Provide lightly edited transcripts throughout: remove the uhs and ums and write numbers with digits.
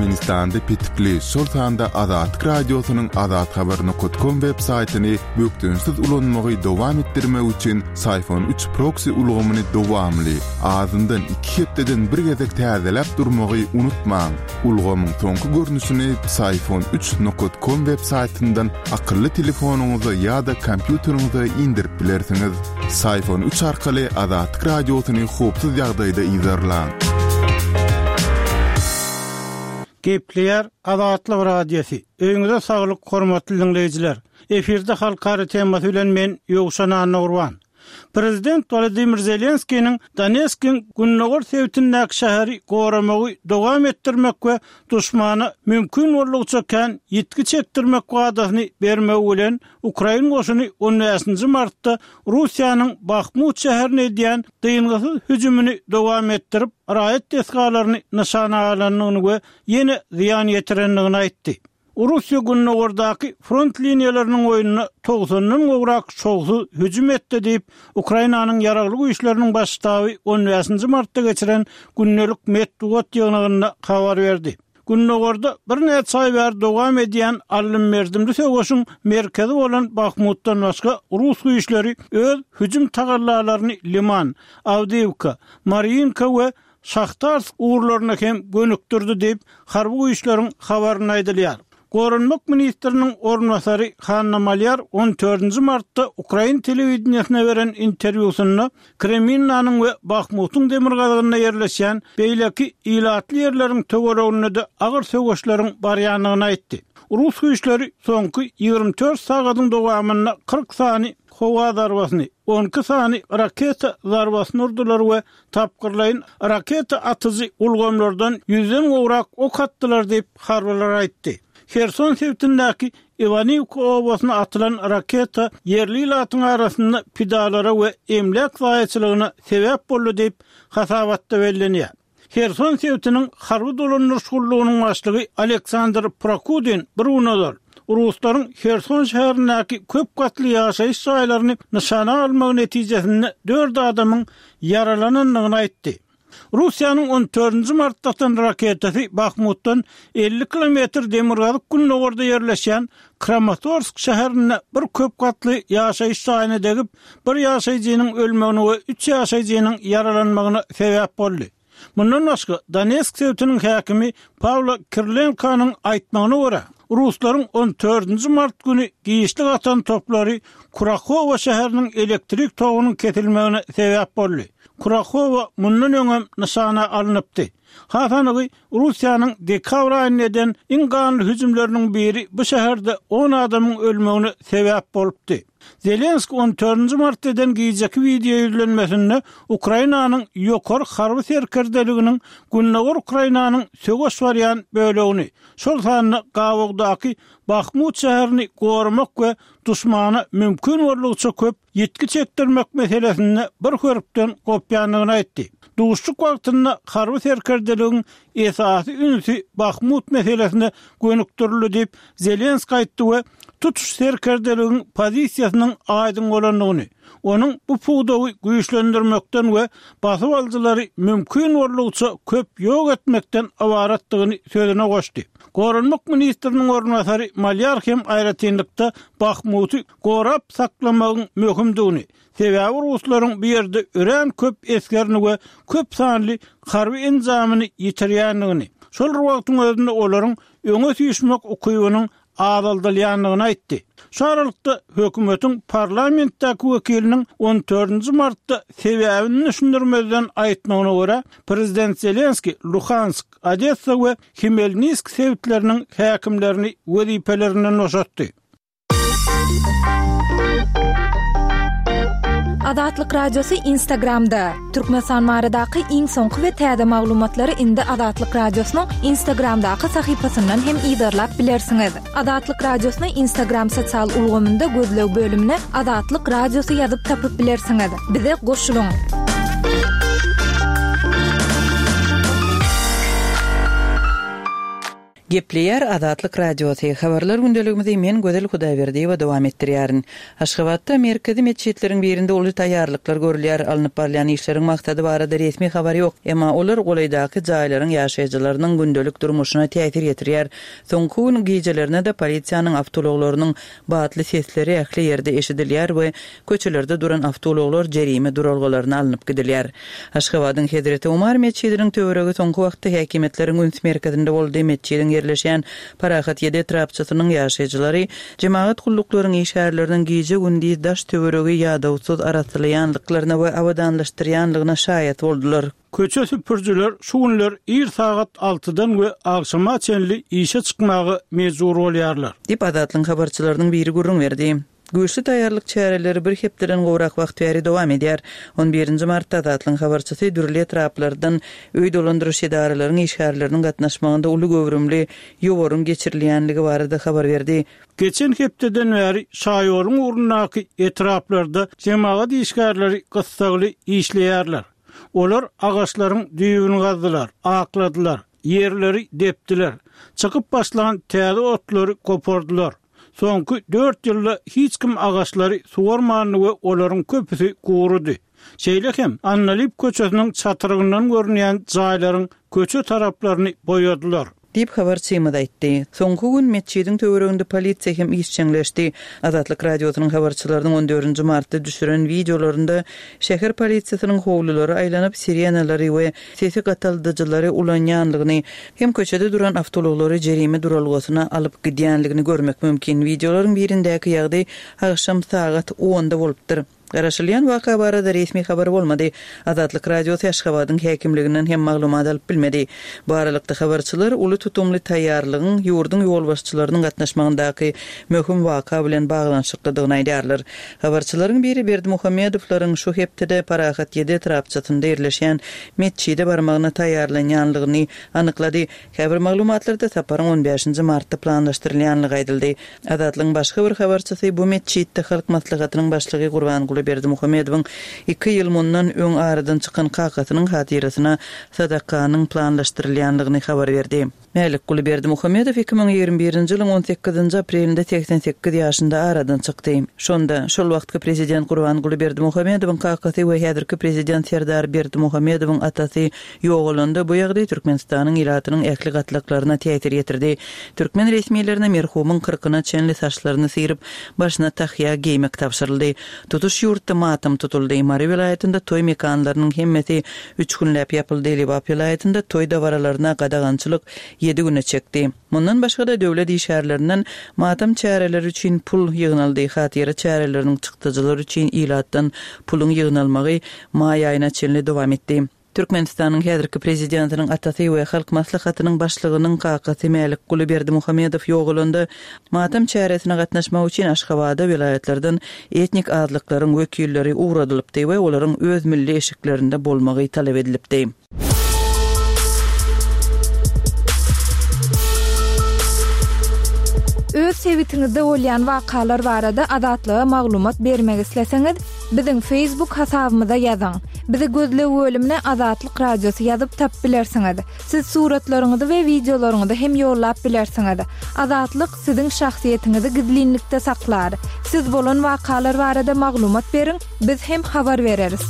Türkmenistanda petikli, şol sanda Azatlyk Radiosynyň azathabar nokat kom web saýtyny bökdençsiz ulanmagy dowam etdirmek üçin Syfon üç proksi ulgamyny dowamly, azyndan iki hepdeden bir gezek täzeläp durmagy unutmaň. Ulgamyň soňky görnüşini Psiphon üç nokat kom web saýtyndan akylly telefonyňyza ýa-da kompýuteriňize indirip bilersiňiz. Psiphon üç arkaly Azatlyk Radiosyny howpsuz ýagdaýda yzarlaň. Gepleýär Azatlyk Radiosy. Öýüňize saglyk hormatly diňleýjiler. Efirde halkara temasy bilen men Ýowşan Annagurban. Prezident Wolodymyr Zelenskiniň Donetskiň gündogar sebitindäki şäheri goramagy dowam etdirmek we duşmana mümkin boldugyça kän ýitgi çekdirmek wadasyny bermegi bilen, ukrain goşuny on bäşinji martda Russiýanyň Bahmut şäherine edýän dyngysyz hüjümini dowam etdirip, raýat desgalaryny nyşana alandygyny we ýene zyýan ýetirendigini aýtdy. Russiýa gündogardaky front liniýalarynyň boýunda togsandan gowrak şowsuz hüjüm etdi diýip, Ukrainanyň Ýaragly Güýçleriniň Baş ştaby on bäşinji martda geçiren gündelik metbugat ýygnagynda habar berdi. Gündogarda birnäçe aý bäri dowam edýän aldym-berdimli söweşiň merkezi bolan Bahmutdan başga rus güýçleri öz hüjüm tagallalaryny Liman, Awdiýewka, Marýinka we Şahtarsk ugurlaryna hem gönükdirdi diýip, harby güýçleriň habarynda aýdylýar. Goranmak ministriniň orunbasary Hanna Malýar on dördünji martda ukrain telewideniýesine beren interwýusynda Kreminnanyň we Bahmutyň demirgazygynda ýerleşýän beýleki ilatly ýerleriň töwereginde-de agyr söweşleriň barýandygyny aýtdy. Rus güýçleri soňky 24 sagadyň dowamynda 40 sany howa zarbasyny, 12 sany raketa zarbasyny urdular we tapgyrlaýyn raketa atyjy ulgamlardan ýüzden gowrak ok atdylar diýip, harbylar aýtdy. Herson sebitindäki Iwaniwka obasyna atylan raketa ýerli ilatyň arasynda pidalara we emläk zaýaçylygyna sebäp boldy diýip, hasabatda bellenýär. Herson sebitiniň harby dolandyryş gullugynyň başlygy Aleksandr Prokudin bir gün ozal, ruslaryň Herson şäherindäki köp gatly ýaşaýyş jaýlaryny nyşana almagy netijesinde dört adamyň ýaralanandygyny aýtdy. Russiýanyň on dördünji martda atan raketasy Bahmutdan 50 kilometr demirgazyk-gündogarda ýerleşýän Kramatorsk şäherinde bir köp gatly ýaşaýyş jaýyna degip, bir ýaşaýjynyň ölmegine we üç ýaşaýjynyň ýaralanmagyna sebäp boldy. Mundan başga, Donetsk sebitiniň häkimi Pawlo Kirilenkonyň aýtmagyna görä, ruslaryň on dördünji mart güni giçlik atan toplary Kurahowo şäheriniň elektrik togunyň kesilmegine sebäp boldy. Kurahowo mundan öňem nyşana alnypdy. Has anygy, Russiýanyň dekabr aýynda eden iň ganly hüjümleriniň biri bu şäherde on adamyň ölmegine sebäp bolupdy. Zelenskiý on dördünji martda eden gijeki wideo ýüzlenmesinde Ukrainanyň ýokary harby serkerdeliginiň gündogar Ukrainanyň söweş barýan bölegini, şol sanda gabawdaky Bahmut şäherini goramak we duşmana mümkin boldugyça köp ýitgi çekdirmek meselesinde bir hörpden gopýandygyny aýtdy. Duşuşyk wagtynda harby serkerdeligiň esasy ünsi Bahmut meselesine gönükdirildi diýip, Zelenskiý aýtdy we tutuş serkerdeligiň pozisiýasynyň aýdyň bolandygyny, onuň bu pudagy güýçlendirmekden we basyp alyjylary mümkin boldugyça köp ýok etmekden ybaratdygyny sözüne goşdy. Goranmak ministriniň orunbasary Malýar hem aýratynlykda Bahmuty gorap saklamagyň möhümdigini, sebäbi ruslaryň bu ýerde örän köp esgerini we köp sanly harby enjamyny ýitirýändigini, şol bir wagtyň özünde olaryň öňe süýşmek ukybynyň azaldylýandygyny aýtdy. Şu aralykda, hökümetiň parlamentdäki wekiliniň on dördünji martda sebäbini düşündirmezden aýtmagyna görä, prezident Zelenskiý Luhansk, Odessa we Hmelnisk sebitleriniň häkimlerini wezipelerinden boşatdy. Azatlyk Radiosy Instagramda, Türkmenistan baradaky iň soňky we täze maglumatlary indi Azatlyk Radiosynyň Instagramdaky sahypasyndan hem yzarlap bilersiňiz. Azatlyk Radiosyny Instagram sosial ulgamynda gözleg bölümine Azatlyk Radiosy ýazyp tapyp bilersiňiz. Bize goşulyň! Gepleýär Azatlyk Radiosy, Habarlar gündeligimizi men Gözel Hudaýberdiýewa dowam etdirýärin. Aşgabatda merkezi metjitleriň birinde uly taýýarlyklar görülýär. Alnyp barylýan işleriň maksady barada resmi habar ýok. Emma olar golaýdaky jaýlaryň ýaşaýjylarynyň gündelik durmuşyna täsir ýetirýär. Soňky gün gijelerine-de polisiýanyň awtoulaglarynyň batly sesleri ähli ýerde eşidilýär we Köçelerde duran awtoulaglar jerime duralgalaryna alnyp gidilýär. Aşgabadyň Hezreti Omar metjidiniň töweregi soňky wagtda häkimiýetleriň üns merkezinde boldy. Metjidiň ýerleşýän Parahat ýedi etrapçasynyň ýaşaýjylary jemagat gulluklaryň işgärleriniň gije-gündiz daş-töweregi ýadawsyz arassalaýandyklaryna we abadanlaşdyrýanlygyna şaýat boldular. Köçe süpürijiler şu günler ir sagat altydan we agşama çenli işe çykmaga mejbur bolýarlar. Diýip, Azatlygyň habarçylarynyň biri gürrüň berdi. Güýçli taýýarlyk çäreleri bir hepdeden gowrak wagt bäri dowam edýär. On birinji martda Azatlygyň habarçysy dürli etraplardan öý dolandyryş edaralaryň işgärleriniň gatnaşmagynda uly göwrümli ýowaryň geçirilýänligi barada habar berdi. Geçen hepdeden bäri şaýoluň ugrundaky etraplarda jemagat işgärleri gyssagly işleýärler. Olar agaçlaryň düýbüni gazdylar, akladylar, ýerleri depdiler, çykyp başlan täze otlary gopardylar. Soňky dört ýylda hiç kim agaçlary suwarmandy we olaryň köpüsi gurudy. Şeýle hem Andalyp köçesiniň çatrygyndan görünýän jaýlaryň köçe taraplaryny boýadylar. Diýip, habarçymyz aýtdy. Soňky gün metjidiň töwereginde polisiýa hem işjeňleşdi. Azatlyk Radiosynyň habarçylarynyň on dördünji martda düşüren wideolarynda şäher polisiýasynyň howlulara aýlanyp, sirenalary we sesi gataldyjylary ulanýanlygyny hem köçede duran awtoulaglary jerime duralgasyna alyp gidýänligini görmek mümkin. Wideolaryň birindäki ýagdaý agşam sagat onda bolupdyr. Garaşylýan waka barada resmi habar bolmady. Azatlyk Radiosy Aşgabadyň häkimliginden hem maglumat alyp bilmedi. Bu aralykda habarçylar uly tutumly taýýarlygyň ýurduň ýolbaşçylarynyň gatnaşmagyndaky möhüm waka bilen baglanyşyklydygyny aýdýarlar. Habarçylaryň biri Berdimuhamedowlaryň şu hepdede Parahat ýedi etrapçasynda ýerleşýän metjide barmagyna taýýarlanýanlygyny anyklady. Käbir maglumatlarda saparyň on bäşinji martda planlaşdyrylýanlygy aýdyldy. Azatlygyň başga bir habarçysy bu metjitde Halk Maslahatynyň başlygy Gurbanguly Berdimuhamedowyň iki ýyl mundan öň aradan çykan kakasynyň hatyrasyna sadakanyň planlaşdyrylýanlygyny habar berdi. Mälikguly Berdimuhamedow 2021-nji ýylyň on sekizinji aprelinde 88 ýaşynda aradan çykdy. Şonda, şol wagtky prezident Gurbanguly Berdimuhamedowyň kakasy we häzirki prezident Serdar Berdimuhamedowyň atasy ýogalanda, bu ýagdaý Türkmenistanyň ilatynyň ähli gatlaklaryna täsir ýetirdi. Türkmen resmilerine merhumyň kyrkyna çenli saçlaryny syryp, başyna tahýa geýmek tabşyryldy. Tutuş ýurtda matam tutuldy. Mary welaýatynda toý mekanlarynyň hemmesi Üç günläp ýapyldy. Lebap welaýatynda toý dabaralaryna gadagançylyk ýedi güne çekdi. Mundan başga-da, döwlet işgärlerinden matam çäreleri üçin pul ýygnaldy, hatyra çäreleriniň çykdajylary üçin ilatdan puluň ýygnalmagy maý aýyna çenli dowam etdi. Türkmenistanyň häzirki prezidentiniň atasy we Halk Maslahatynyň başlygynyň kakasy Mälikguly Berdimuhamedow ýogalanda, Matam çäresine gatnaşmak üçin Aşgabada welaýatlardan etnik azlyklaryň wekilleri ugradylypdy we olaryň öz milli eşiklerinde bolmagy talap edilipdi. Öz sebitiňizde bolýan wakalar barada Azatlyga maglumat bermek isleseňiz, biziň Facebook hasabymyza ýazyň. Bizi gözleg bölümine Azatlyk Radiosy ýazyp tapyp bilersiňiz. Siz suratlaryňyzy we wideolaryňyzy hem ýollap bilersiňiz. Azatlyk siziň şahsyýetiňizi gizlinlikde saklar. Siz bolan wakalar barada maglumat beriň, biz hem habar bereris.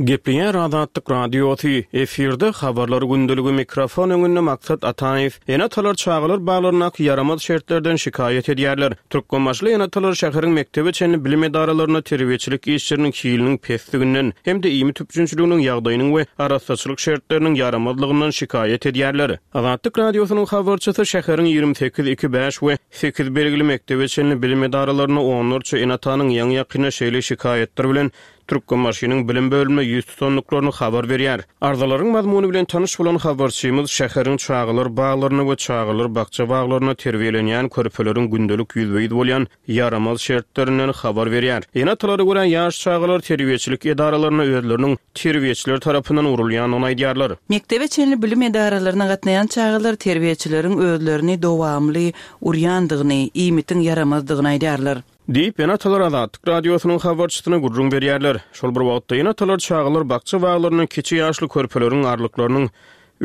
Gepleýär Azatlyk Radiosy, efirde Habarlar gündeligi, mikrofon öňünde Maksat Ataýew. Ene-atalar çagalar baglaryndaky ýaramaz şertlerden şikaýat edýärler. Türkmenbaşyly ene-atalar şäheriň mekdebe çenli bilim edaralarynda terbiýeçilik işleriniň hiliniň pesliginden hem-de iýmit üpjünçiliginiň ýagdaýynyň we arassaçylyk şertleriniň ýaramazlygyndan şikaýat edýärler. Azatlyk Radiosynyň habarçysy şäheriň 28, 2, 5 we 8 belgili mekdebe çenli bilim edaralarynda onlarça ene-atanyň ýaňy-ýakynda şeýle şikaýatlar bilen Türkmenbaşynyň bilim bölümine ýüz tutandyklaryny habar berýär. Arzalaryň mazmuny bilen tanyş bolan habarçymyz şäheriň çagalar baglarynda we çagalar bakja-baglarynda terbiýelenýän körpeleriň gündelik ýüzbe-ýüz bolýan ýaramaz şertlerinden habar berýär. Ene-atalara görä, ýaş çagalar terbiýeçilik edaralarynda özleriniň terbiýeçiler tarapyndan urulýandygyny aýdýarlar. Mekdebe çenli bilim edaralaryna gatnaýan çagalar terbiýeçileriň özlerini dowamly urýandygyny, iýmitiň ýaramazdygyny aýdýarlar. Diýip, ene-atalar Azatlyk Radiosynyň habarçysyna gürrüň berýärler. Şol bir wagtda, ene-atalar çagalar bakja-baglarynda kiçi ýaşly körpeleriň arlyklarynyň.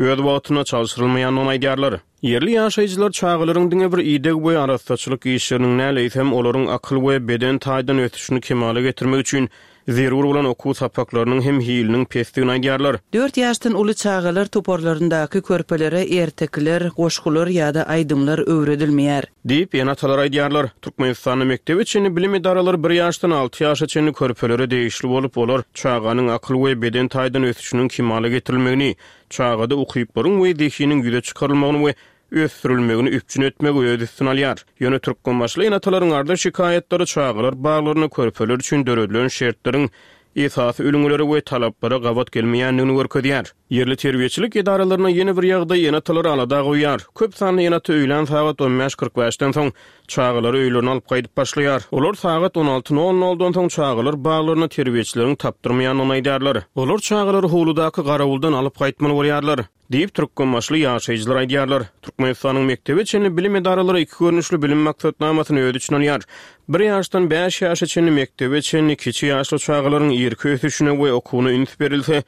öz wagtynda çalşyrylmaýandygyny aýdýarlar. Ýerli ýaşaýjylar çagalaryň diňe bir ideg we arassaçylyk işleriniň däl, eýsem, olaryň akyl we beden taýdan ösüşini kemala getirmek üçin zerur bolan okuw sapaklarynyň hem hiliniň pesdigini aýdýarlar. Dört ýaşdan uly çagalar toparlaryndaky körpelere ertekiler, goşgular ýa-da aýdymlar öwredilmeýär. Diýip, ene-atalar aýdýarlar. Türkmenistanda mekdebe çenli bilim edaralary bir ýaşdan alty ýaşa çenli körpelere degişli bolup, olar çaganyň akyl we beden taýdan ösüşiniň kemala getirilmegini, çagada ukyplaryň we zehiniň ýüze çykarylmagyny we ösdürilmegini üpjün etmegi öz üstüne alýar. Ýöne türkmenbaşyly ene-atalaryň arza-şikaýatlary çagalar baglarynda körpeler üçin döredilen şertleriň esasy ülňülere we talaplara gabat gelmeýändigini görkezýär. Ýerli terbiýeçilik edaralarynda ýene bir ýagdaý ene-atalary alada goýýar. Köp sanly ene-ata öýlän sagat on bäş 45-den soň çagalary öýlerine alyp gaýdyp başlaýar. Olar sagat on alty nol noldan soň çagalar baglaryna terbiýeçileriň tapdyrmaýandygyny aýdýarlar. Olar çagalary howludaky garawuldan alyp gaýtmaly bolýarlar. Diýip, türkmenbaşyly ýaşaýjylar aýdýarlar. Türkmenistanyň mekdebe çenli bilim edaralary iki görnüşli bilim maksatnamasyny öz içine alýar. Bir ýaşdan bäş ýaşa çenli mekdebe çenli kiçi ýaşly çagalaryň irki ösüşine we okuwyna üns berilse,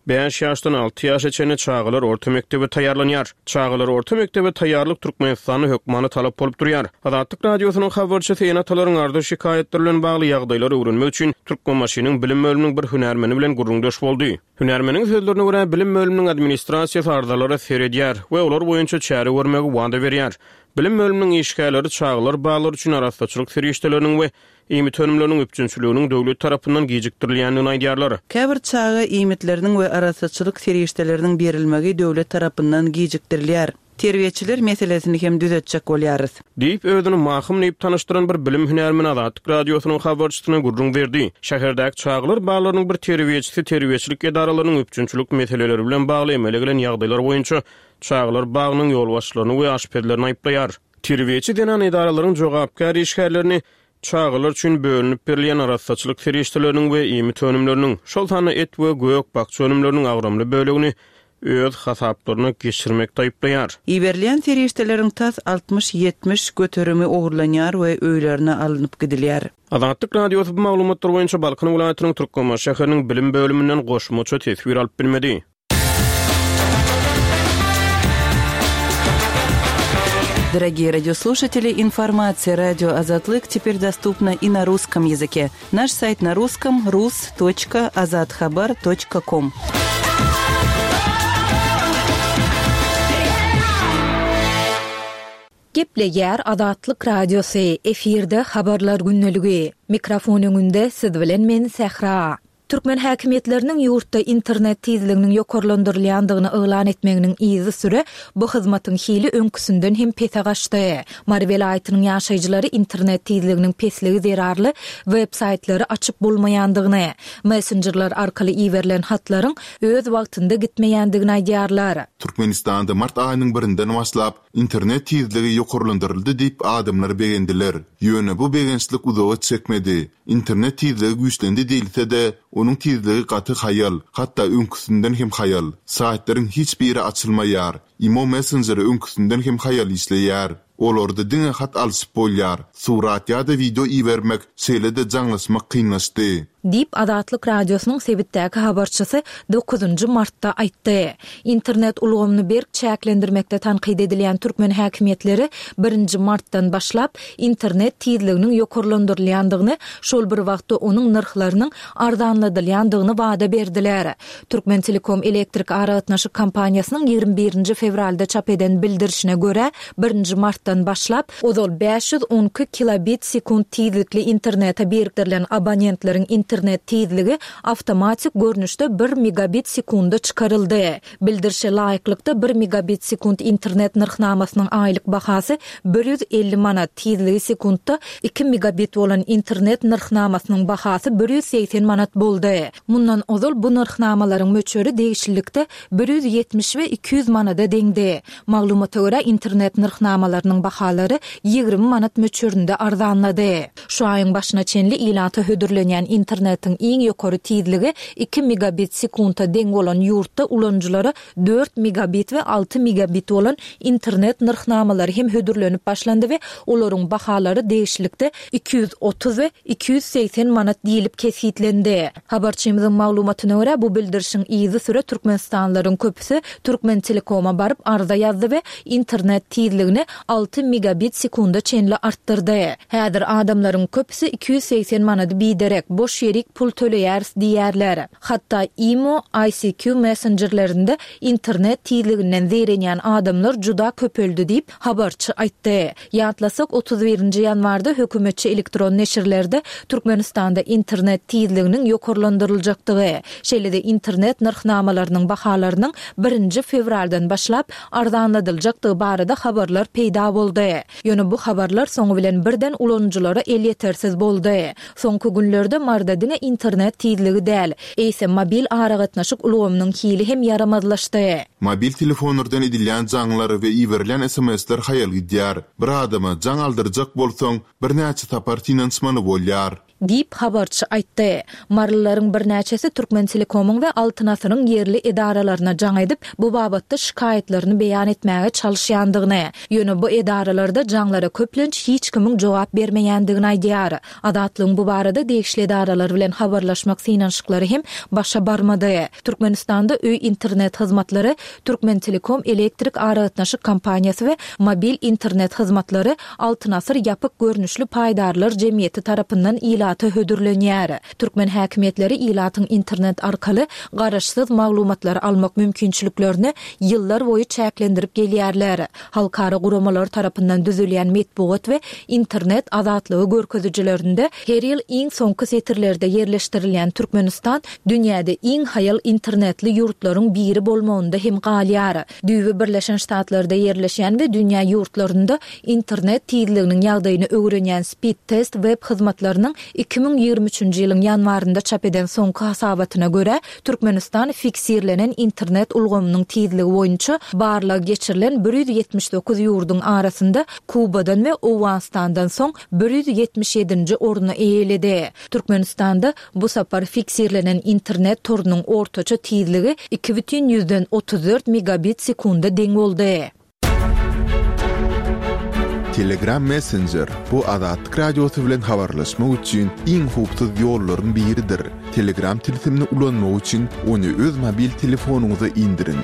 bäş ýaşdan alty ýaşa çenli çagalar orta mekdebe taýýarlanýar. Çagalary orta mekdebe taýýarlyk Türkmenistanda hökmany talap bolup durýar. Azatlyk Radiosynyň habarçysy ene-atalaryň arza-şikaýatlary bilen bagly ýagdaýlary öwrenmek üçin Türkmenbaşynyň bilim bölüminiň bir hünärmeni bilen gürrüňdeş boldy. Hünärmeniň sözlerine görä, bilim bölüminiň administrasiýasy arzalara seredýär we olar boýunça çäre görmegi wada berýär. Bilim bölüminiň işgärleri çagalar baglary üçin arassaçylyk serişdeleriniň we iýmit önümleriniň üpjünçiliginiň döwlet tarapyndan gijikdirilýändigini aýdýarlar. Käbir çaga iýmitleriniň we arassaçylyk serişdeleriniň berilmegi döwlet tarapyndan gijikdirilýär. Terbiýeçiler meselesini hem düzetjek bolýarys. Diýip, özüni Mahym diýip tanyşdyran bir bilim hünärmeni Azatlyk Radiosynyň habarçysyna gürrüň berdi. Şäherdäki çagalar baglarynyň bir terbiýeçisi terbiýeçilik edaralarynyň üpjünçilik meseleleri bilen bagly emele gelen ýagdaýlar boýunça çagalar bagynyň ýolbaşçylaryny we aşpezlerini aýyplaýar. Terbiýeçi zenan edaralaryň jogapkär işgärlerini Çagalar üçin bölünip berilýän arassaçylyk serişdeleriniň we iýmit önümleriniň, şol sanda et we gök-bakja önümleriniň agramly bölegini öz hasaplaryna geçirmekde aýyplaýar. Iberilýän serişdeleriň tas 60-70 göterimi ogurlanýar we öýlerine alnyp gidilýär. Azatlyk Radiosy bu maglumatlar boýunça Balkan welaýatynyň Türkmenbaşy şäheriniň bilim bölüminden goşmaça teswir alyp bilmedi. Дорогие радиослушатели, информация радио Азатлык теперь доступна и на русском языке. Наш сайт на русском rus.azathabar.com. Gepleýär Azatlyk Radiosy, efirde Habarlar gündeligi. Mikrofon öňünde siz bilen men Sähra. Türkmen häkimiýetleriniň ýurtda internet tizliginiň ýokarlandyrylýandygyny yglan etmeginiň yzysüre bu hyzmatyň hili öňküsinden hem pese gaçdy. Mary welaýatynyň ýaşaýjylary internet tizliginiň pesligi zerarly web-saýtlary açyp bolmaýandygyny, messenjerler arkaly iberilen hatlaryň öz wagtynda gitmeýändigini aýdýarlar. Türkmenistanda mart aýynyň birinden başlap, internet tizligi ýokarlandyryldy diýip adamlar begendiler. Ýöne bu begençlik uzaga çekmedi. Internet tizligi güýçlendi diýilse-de, onuň tizligi gaty haýal, hatda öňküsinden hem haýal. Saýtlaryň hiç biri açylmaýar. Imo messenjeri öňküsinden hem haýal işleýär. Olarda diňe hat alşyp bolýar, surat ýa-da wideo ibermek, şeýle-de jaňlaşmak kynlaşdy. Diýip, Azatlyk Radiosynyň sebitdäki habarçysy dokuzynjy martda aýtdy. Internet ulgamyny berk çäklendirmekde tankyt edilýän türkmen häkimiýetleri birinji martdan başlap, internet tizliginiň ýokarlandyrylýandygyny, şol bir wagtda onuň nyrhlarynyň arzanladylýandygyny wada berdiler. Türkmentelekom elektrik aragatnaşyk kompaniýasynyň 21 nji fewralda çap eden bildirişine görä, birinji martdan başlap, ozal 512 kilobit sekunt tizlikli internete birikdirilen abonentleriň internet tizligi awtomatik görnüşde bir megabit sekunda çykaryldy. Bildirişe laýyklykda, bir megabit sekunt internet nyrhnamasynyň aýlyk bahasy 150 manat, tizligi sekuntda iki megabit bolan internet nyrhnamasynyň bahasy 180 manat boldy. Mundan ozal bu nyrhnamalaryň möçberi degişlilikde 170 we 200 manada deňdi. Maglumata görä, internet nyrhnamalarynyň. hyzmatlarynyň bahalary 20 manat möçberinde arzanlady. Şu aýyň başyna çenli ilata hödürlenýän internetiň iň ýokary tizligi iki megabit sekunta deň bolan ýurtda ulanyjylara dört megabit we alty megabit bolan internet nyrhnamalary hem hödürlenip başlandy we olaryň bahalary degişlilikde 230 we 280 manat diýlip kesgitlendi. Habarçymyzyň maglumatyna görä, bu bildirişiň yzysüre türkmenistanlylaryň köpüsi Türkmentelekoma baryp arza ýazdy we internet tizligini alty megabit sekunda çenli artdyrdy. Häzir adamlaryň köpüsi 280 manady biderek, boş ýerik pul töleýäris diýýärler. Hatda imo, ICQ messenjerlerinde internet tizliginden zeýrenýän adamlar juda köpeldi diýip, habarçy aýtdy. Ýatlasak, 31 nji ýanwarda hökümetçi elektron neşirlerde Türkmenistanda internet tizliginiň ýokarlandyryljakdygy, şeýle-de internet nyrhnamalarynyň bahalarynyň birinji fewraldan başlap arzanladyljakdygy barada habarlar peýda boldy. Ýöne bu habarlar soňy bilen birden ulanyjylara elýetersiz boldy. Soňky günlerde Maryda diňe internet tizligi däl, eýsem mobil aragatnaşyk ulgamynyň hili hem ýaramazlaşdy. Mobil telefonlardan edilýän jaňlar we iberilýän sms-ler haýal gidýär. Bir adama jaň aldyrjak bolsaň, birnäçe sapar synanyşmaly bolýar. Diýip, habarçy aýtdy. Marylylaryň birnäçesi Türkmentelekomyň we Altyn asyryň ýerli edaralaryna jaň edip, bu babatda şikaýatlaryny beýan etmäge çalyşýandygyny, ýöne bu edaralarda jaňlara köplenç hiç kimiň jogap bermeýändigini aýdýar. Azatlygyň bu barada degişli edaralar bilen habarlaşmak synanyşyklary hem başa barmady. Türkmenistanda öý internet hyzmatlary Türkmentelekom elektrik aragatnaşyk kompaniýasy we mobil internet hyzmatlary Altyn asyr ýapyk görnüşli paýdarlar jemgyýeti tarapyndan ilata hödürlenýär. Türkmen häkimiýetleri ilatyň internet arkaly garaşsyz maglumatlary almak mümkinçiliklerini ýyllar boýy çäklendirip gelýärler. Halkara guramalary tarapyndan düzülýän metbugat we internet azatlygy görkezijilerinde her ýyl iň soňky setirlerde ýerleşdirilýän Türkmenistan dünýäde iň haýal internetli ýurtlaryň biri bolmagynda hem galýar. Düýbi Birleşen Ştatlarda ýerleşýän we dünýä ýurtlarynda internet tizliginiň ýagdaýyny öwrenýän Speedtest web hyzmatlarynyň 2023-nji ýylyň ýanwarynda çap eden soňky hasabatyna görä, Türkmenistan fiksirlenen internet ulgamynyň tizligi boýunça barlag geçirilen 179 ýurduň arasynda Kubadan we Owganystandan soň 177-nji orny eýeledi. Türkmenistanda Bu sapar fiksirlenen internet torunyň ortaça tizligi 2,34 megabit sekunda deň boldy. Telegram Messenger, bu Azatlyk Radiosy bilen habarlaşmak üçin iň howpsuz ýollaryň biridir. Telegram tilsimini ulanmak üçin ony öz mobil telefonyňyza indiriň.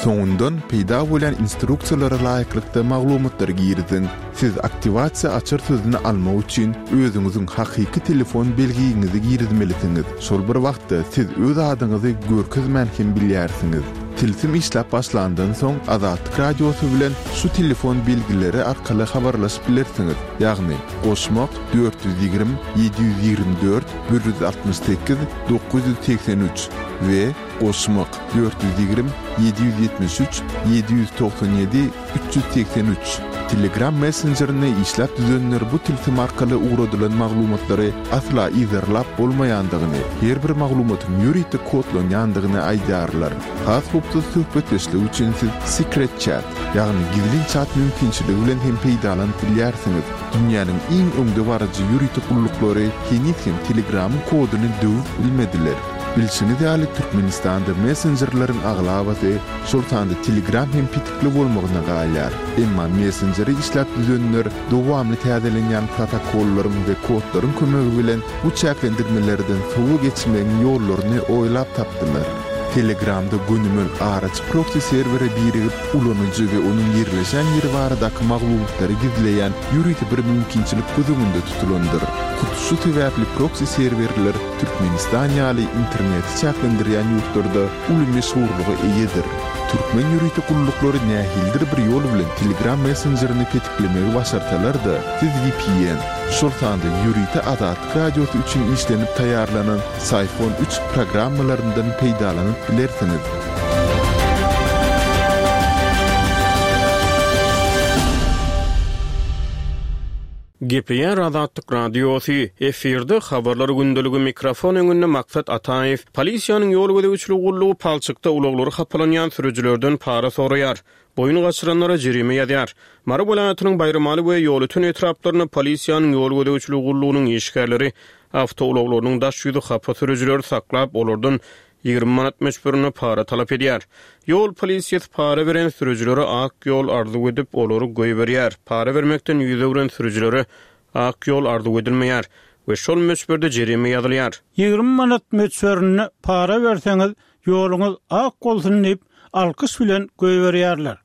Soňundan peýda bolýan instruksiýalara laýyklykda maglumatlary giriziň. Siz aktiwasiýa açar sözüni almak üçin özüňiziň hakyky telefon belgiňizi girizmelisiňiz. Şol bir wagtda siz öz adyňyzy görkezmän hem bilýärsiňiz. Tilsim işläp başlandan soň Azatlyk Radiosy bilen şu telefon belgileri arkaly habarlaşyp bilersiňiz, ýagny, goşmak, 420 724 168 983 we Goşmak, 420, 773, 797, 383. Telegram messenjerini işläp düzenler bu tilsim arkaly ugradylan maglumatlary asla yzarlap bolmaýandygyny, her bir maglumatyň ýörite kodlanýandygyny aýdýarlar. Has howpsuz söhbetdeşlik üçin siz Secret Chat, ýagny gizlin çat mümkinçiligi bilen hem peýdalanyp bilýärsiňiz. Dünýäniň iň öňdebaryjy ýörite gulluklary heniz hem Telegramyň koduny döwüp bilmediler. Bilşiňiz ýaly, Türkmenistanda messenjerleriň aglabasy, şol sanda Telegram hem petikli bolmagyna galýar. Emma messenjeri işläp düzenler dowamly täzelenýän protokollaryň we kodlaryň kömegi bilen bu çäklendirmelerden sowa geçmegiň ýollaryny oýlap tapdylar. Telegramda gönümel araçy proksi serwere birigip, ulanyjy we onuň ýerleşen ýeri baradaky maglumatlary gizleýän ýörite bir mümkinçilik göz öňünde tutulandyr. Hut şu sebäpli proksi serwerler Türkmenistan ýaly interneti çäklendirýän ýurtlarda uly meşhurlyga eýedir. Türkmen ýörite gulluklary nähilidir bir ýol bilen Telegram messenjerini petiklemegi başarsalar-da, siz vpn, şol sanda ýörite Azatlyk Radiosy üçin işlenip taýýarlanan Syphon üç programmalaryndan peýdalanyp bilersiňiz. Gepleýär Azatlyk Radiosy, Efirde Habarlar gündeligi mikrofon öňünde Maksat Ataýew. Polisiýanyň ýol gözegçiligi gullugy palçykda ulaglary hapalanýan sürüjilerden para soraýar. Boýun gaçyranlara jerime ýazýar. Mary welaýatynyň Baýramaly we Ýolöten etraplarynda polisiýanyň ýol gözegçiligi gullugynyň işgärleri awtoulaglarynyň daş ýüzi hapa sürüjileri saklap, olardan 20 manat möçberinde para talap edýär. Ýol polisiýasy para beren sürüjilere ak ýol arzuw edip, olary goýberýär. Para bermekden ýüz öwren sürüjilere ak ýol arzuw edilmeýär we şol möçberde jerime ýazylýar. 20 manat möçberinde para berseňiz, ýoluňyz ak bolsun diýip, alkyş bilen goýberýärler.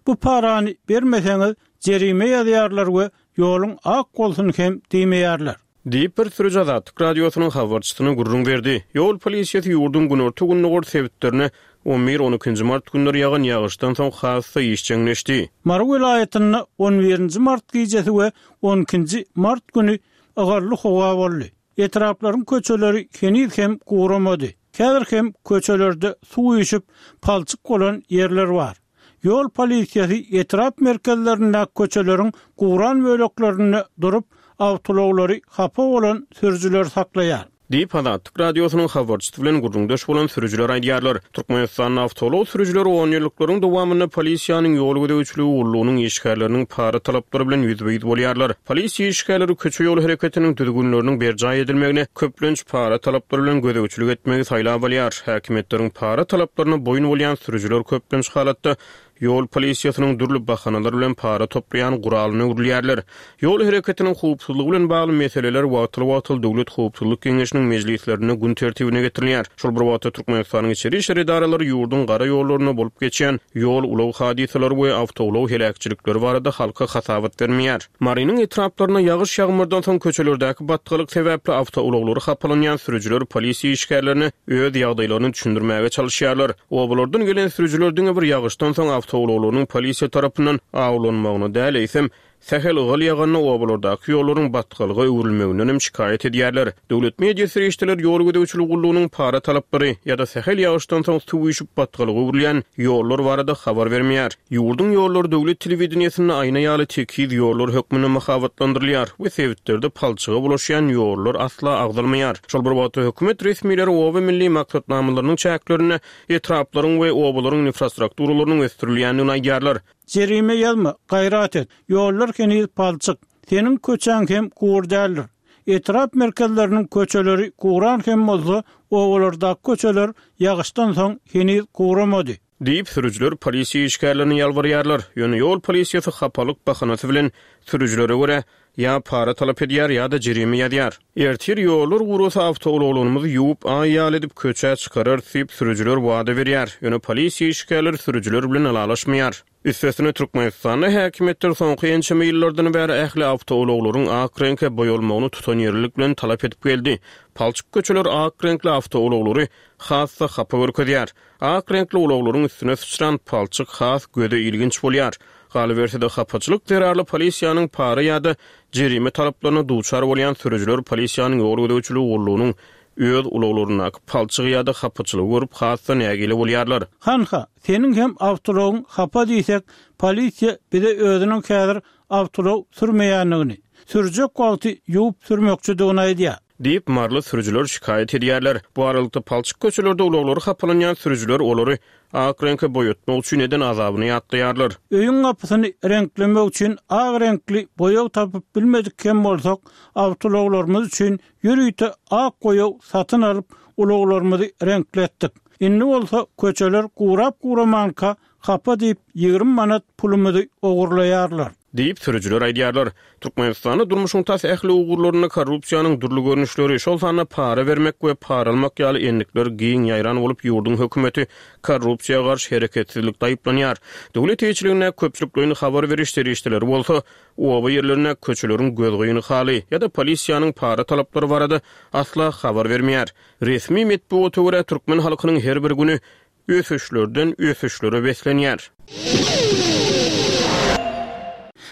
Bu parany bermeseňiz, jerime ýazýarlar we ýoluň ak bolsun hem diýmeýärler. Diýip, bir sürüji Azatlyk Radiosynyň habarçysyna gürrüň berdi. Ýol polisiýasy ýurduň günorta-gündogar sebitlerine on bir, on ikinji mart günleri ýagan ýagyşdan soň has-da işjeňleşdi. Mary welaýatynda on birinji mart gijesi we on ikinji mart güni ygally howa boldy. Etraplaryň köçeleri heniz hem guramady. Häzir hem köçelerde suw üýşüp, palçyk bolan ýerler bar. Ýol polisiýasy etrap merkezlerindäki köçeleriň guran böleklerinde durup, awtoulaglary hapa bolan sürüjileri saklaýar. Diýip, Azatlyk Radiosynyň habarçysy bilen gürrüňdeş bolan sürüjiler aýdýarlar. Türkmenistanda awtoulag sürüjileri onýyllyklaryň dowamynda polisiýanyň ýol gözegçiligi gullugynyň işgärleriniň para talaplary bilen ýüzbe-ýüz bolýarlar. Polisiýa işgärleri köçe-ýol hereketiniň düzgünleriniň berjaý edilmegine köplenç para talaplary bilen gözegçilik etmegi saýlap alýar. Häkimiýetleriň para talaplaryna boýun bolýan sürüjiler köplenç halatda ýol polisiýasynyň dürli bahanalar bilen para toplaýan guralyna öwrülýärler. Ýol hereketiniň howpsuzlygy bilen bagly meseleler wagtal-wagtal Döwlet howpsuzlyk geňeşiniň mejlislerinde gün tertibine getirilýär. Şol bir wagtda Türkmenistanyň içeri işler edaralary ýurduň gara ýollarynda bolup geçýän ýol-ulag hadysalary we awtoulag heläkçilikleri barada halka hasabat bermeýär. Marynyň etraplarynda ýagyş-ýagmyrdan soň köçelerdäki batgalyk sebäpli awtoulaglary hapalanýan sürüjiler polisiýa işgärlerine öz ýagdaýlaryny düşündirmäge çalyşýarlar. Obalardan gelen sürüjiler diňe bir ýagyşdan soň awtoulaglarynyň polisiýa tarapyndan awlanmagyna däl, eýsem, sähel ygal ýaganda obalardaky ýollaryň batgalyga öwrülmeginden hem şikaýat edýärler. Döwlet media serişdeleri ýol gözegçiligi gullugynyň para talaplary ýa-da sähel ýagyşdan soň suw üýşüp batgalyga öwrülýän ýollar barada habar bermeýär. Ýurduň ýollary döwlet telewideniýesinde aýna ýaly tekiz ýollar hökmünde mahabatlandyrylýar we sebitlerde palçyga bulaşýan ýollar asla agzalmaýar. Şol bir wagtda, hökümet resmileri Oba milli maksatnamalarynyň çäklerinde etraplaryň we obalaryň infrastrukturalarynyň ösdürilýändigini aýdýarlar. Jerime ýazma, gaýrat et. Ýollar heniz palçyk. Seniň köçäň hem gury däldir. Etrap merkezleriniň köçeleri guran hem bolsa, obalardaky köçeler ýagyşdan soň heniz guramady. Diýip, sürüjiler polisiýa işgärlerine ýalbarýarlar. Ýöne ýol polisiýasy hapalyk bahanasy bilen sürüjilere görä, ýa para talap edýär, ýa-da jerime ýazýar. Ertir ýollar gurasa awtoulaglarymyzy ýuwup, aý ýaly edip köçä çykararys diýip, sürüjiler wada berýär. Ýöne polisiýa işgärleri sürüjiler bilen ylalaşmaýar. Üstesine, Türkmenistanda häkimiýetler soňky ençeme ýyllardan bäri ähli awtoulaglaryň ak reňke boýalmagyny tutanýerlilik bilen talap edip geldi. Palçyk köçeler ak reňkli awtoulaglary has-da hapa görkezýär. Ak reňkli ulaglaryň üstüne syçran palçyk has göze ilginç bolýar. Galyberse-de, hapaçylyk zerarly polisiýanyň para ýa-da jerime talaplaryna duçar bolýan sürüjiler polisiýanyň ýol gözegçiligi gullugynyň öz ulaglaryndaky palçygy ýa-da hapaçylygy görüp has-da nägile bolýarlar. Hanha, seniň hem awtoulagyň hapa diýsek, polisiýa bize özüniň häzir awtoulag sürmeýändigini, sürjek wagty ýuwup sürmekçidigini aýdýar. Diýip, maryly sürüjiler şikaýat edýärler. Bu aralykda, palçyk köçelerde ulaglary hapalanýan sürüjiler olary ak reňke boýatmak üçin eden azabyny ýatlaýarlar. Öýüň gapysyny reňklemek üçin ak reňkli boýag tapyp bilmedik hem bolsak, awtoulaglarymyz üçin ýörite ak boýag satyn alyp, ulaglarymyzy reňkletdik. Indi bolsa köçeler gurap-guramanka Hapa diýip, 20 manat pulumyzy ogurlaýarlar. Diýip, sürüjiler aýdýarlar. Türkmenistanda durmuşyň tas ähli ugurlarynda korrupsiýanyň dürli görnüşleri, şol sanda para bermek we para almak ýaly endikler giň ýaýran bolup, ýurduň hökümeti korrupsiýa garşy hereketsizlikde aýyplanýar. Döwlet eýeçiligindäki köpçülikleýin habar beriş serişdeleri bolsa, oba ýerlerindäki köçeleriň gözgyny haly ýa-da polisiýanyň para talaplary barada asla habar bermeýär. Resmi metbugata görä, türkmen halkynyň her bir güni ösüşlerden ösüşlere beslenýär.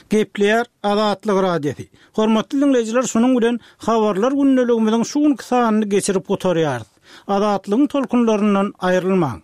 Gepleýär Azatlyk Radiosy. Hormatly diňleýjiler şunuň bilen Habarlar gündeligimiziň şu günki sanyny geçirip gutarýarys. Azatlygyň tolkunlaryndan aýrylmaň.